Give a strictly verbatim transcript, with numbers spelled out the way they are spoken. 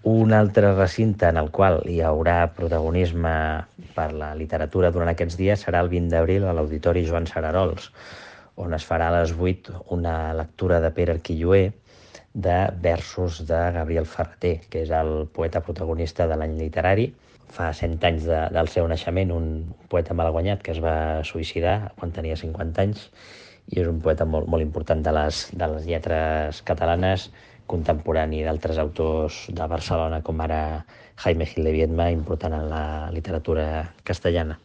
Un altre recinte en el qual hi haurà protagonisme per la literatura durant aquests dies serà el vint d'abril a l'Auditori Joan Sararols, on es farà a les vuit una lectura de Pere Arquilloé de versos de Gabriel Ferrater, que és el poeta protagonista de l'any literari. Fa cent anys de, del seu naixement, un poeta malaguanyat que es va suïcidar quan tenia cinquanta anys, i és un poeta molt, molt important de les, de les lletres catalanes, contemporani d'altres autors de Barcelona, com ara Jaime Gil de Biedma, important en la literatura castellana.